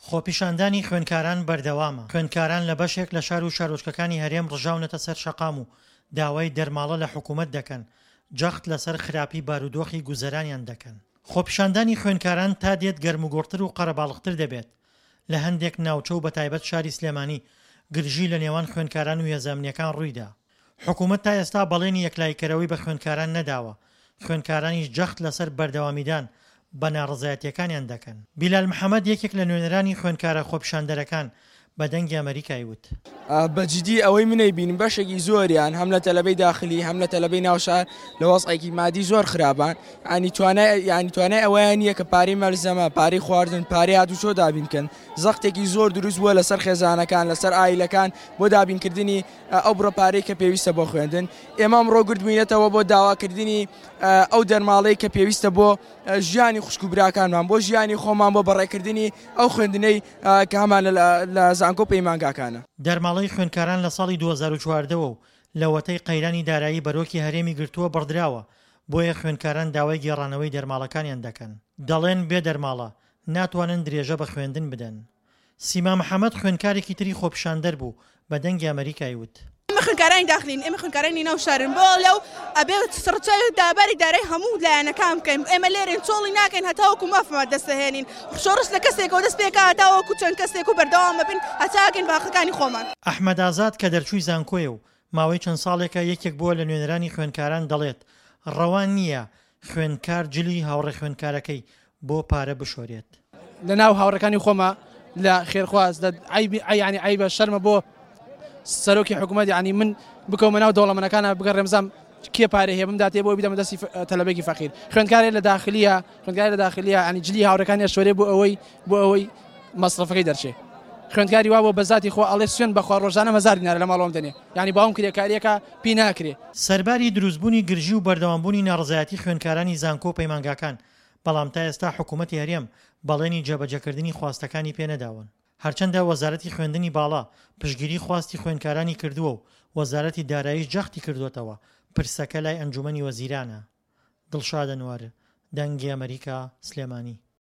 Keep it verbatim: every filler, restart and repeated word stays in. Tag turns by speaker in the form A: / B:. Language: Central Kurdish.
A: خۆپیشاندانی خوێندکاران بەردەوامە، خوێندکاران لە بەشێک لە شار و شارۆچکەکانی هەرێم ڕژاونەتە سەر شەقام و داوای دەرماڵە لە حکومەت دەکەن، جەخت لەسەر خراپی بارودۆخی گوزەرانیان دەکەن. خۆپیشاندانی خوێندکاران تا دێت گەرموگوڕتر و قەرەباڵغتر دەبێت، لە هەندێک ناوچە و بەتایبەت شاری سلێمانی گرژی لە نێوان خوێندکاران و هێزە ئەمنییەکان ڕوویدا. حکومەت تا ئێستا بەڵێنی یەکلاییکەرەوەی بە خوێندکاران نەداوە، خوێندکارانیش جەخت لەسەر بەردەوامیدان بە ناڕەزایەتییەکانیان دەکەن. بیلال محەمەد یەکێک لە نوێنەرانی خوێندکارە خۆپیشاندەرەکان بە دەنگی ئەمەریکای وت.
B: بە جدی ئەوەی من ئەیبینم بەشێکی زۆریان هەم لە تەلەبەی داخلی هەم لە تەلەبەی ناوشار لە وەزعێکی مادی زۆر خراپان، ینی توانای ینی توانای ئەوەیان نییە کە پارەی مەلزەمە، پارەی خواردن، پارەی هاتوچۆ دابین بکەن. زەختێکی زۆر دروست بووە لەسەر خێزانەکان، لەسەر ئایلەکان بۆ دابینکردنی ئەو بڕە پارەی کە پێویستە بۆ خوێندن. ئێمە ئەمڕۆ گردبووینەتەوە بۆ داواکردنی ئەو دەرماڵەی کە پێویستە بۆ ژیانی خوشک و براکانمان، بۆ ژیانی خۆمان، بۆ بەڕێکردنی ئەو خوێندنەی کە هەمان لە زانکۆ پەیمانگاکانە.
A: دەرماڵەی خوێندکاران لە ساڵی دوو هەزار و چواردە وە و لەوەتەی قەیرانی دارایی بەرۆکی هەرێمی گرتووە بڕدراوە، بۆیە خوێندکاران داوای گێڕانەوەی دەرماڵەکانیان دەکەن، دەڵێن بێ دەرماڵە ناتوانن درێژە بە خوێندن بدەن. سیما محەمەد خوێندکارێکی تری خۆپیشاندەر بوو بە دەنگی ئەمەریکای وت.
C: ئێمە خوێندکارانی داخلین، ئێمە خوێندکارانی ناو شارن، بۆ لەو ئەبێ ڕچاوی داباری دارای هەموو لایەنەکان بکەین. ئێمە لێرەین چۆڵی ناکەین هەتاوەکو مافمان دەستەهێنین. شۆڕش لە کەسێکەوە دەست پێکا هەتاوەکو چەند کەسێک و بەردەوام ببین هەتاگەین باقەکانی خۆمان.
A: ئەحمەد ئازاد کە دەرچووی زانکۆیە و ماوەی چەند ساڵێکە یەکێک بووە لە نوێنەرانی خوێندکاران دەڵێت ڕەوا نییە خوێندکار جلی هاوڕێ خوێندکارەکەی بۆ پارە بشۆرێت.
D: لە ناو هاوڕێکانی خۆمە لە خێرخواز لە عەیبی یعنی عەیبە شەرمە بۆ سەرۆکی حکوومەت، یعنی من بکەومە ناو دەوڵەمەنەکانە بگەڕێم زام کێ پارە هەیە بمداتێ بۆ بیدەمە دەستی تەلەبێکی فەقیر. خوێندکارێ لە داخلیە، خوێندکارێ لە داخلیە یعنی جلی هاوڕێکانی ئەشۆرێ بۆ ئەوەی بۆ ئەوەی مەسرەفەکەی دەرچێ. خوێندکاری وا بۆ بەزاتی خۆ ئەڵێ سوێن بەخوا ڕۆژانە هەزار دینارە لە ماڵەوەم دەنێ، یعنی باوم کرێکاریەکە پی ناکرێ.
A: سەرباری دروستبوونی گرژی و بەردەوامبوونی ناڕەزایەتی خوێندکارانی زانکۆ و پەیمانگاکان، بەڵام تا ئێستا حکوومەتی هەرێم بەڵێنی جێبەجێکردنی خواستەکانی پێنەداون. هەرچەندە وەزارەتی خوێندنی باڵا پشتگیری خواستی خوێندکارانی کردووە و وەزارەتی داراییش جەختی کردووەتەوە پرسەکە لای ئەنجومەنی وەزیرانە. دڵشاد ئەنوەر، دەنگی ئەمەریکا، سلێمانی.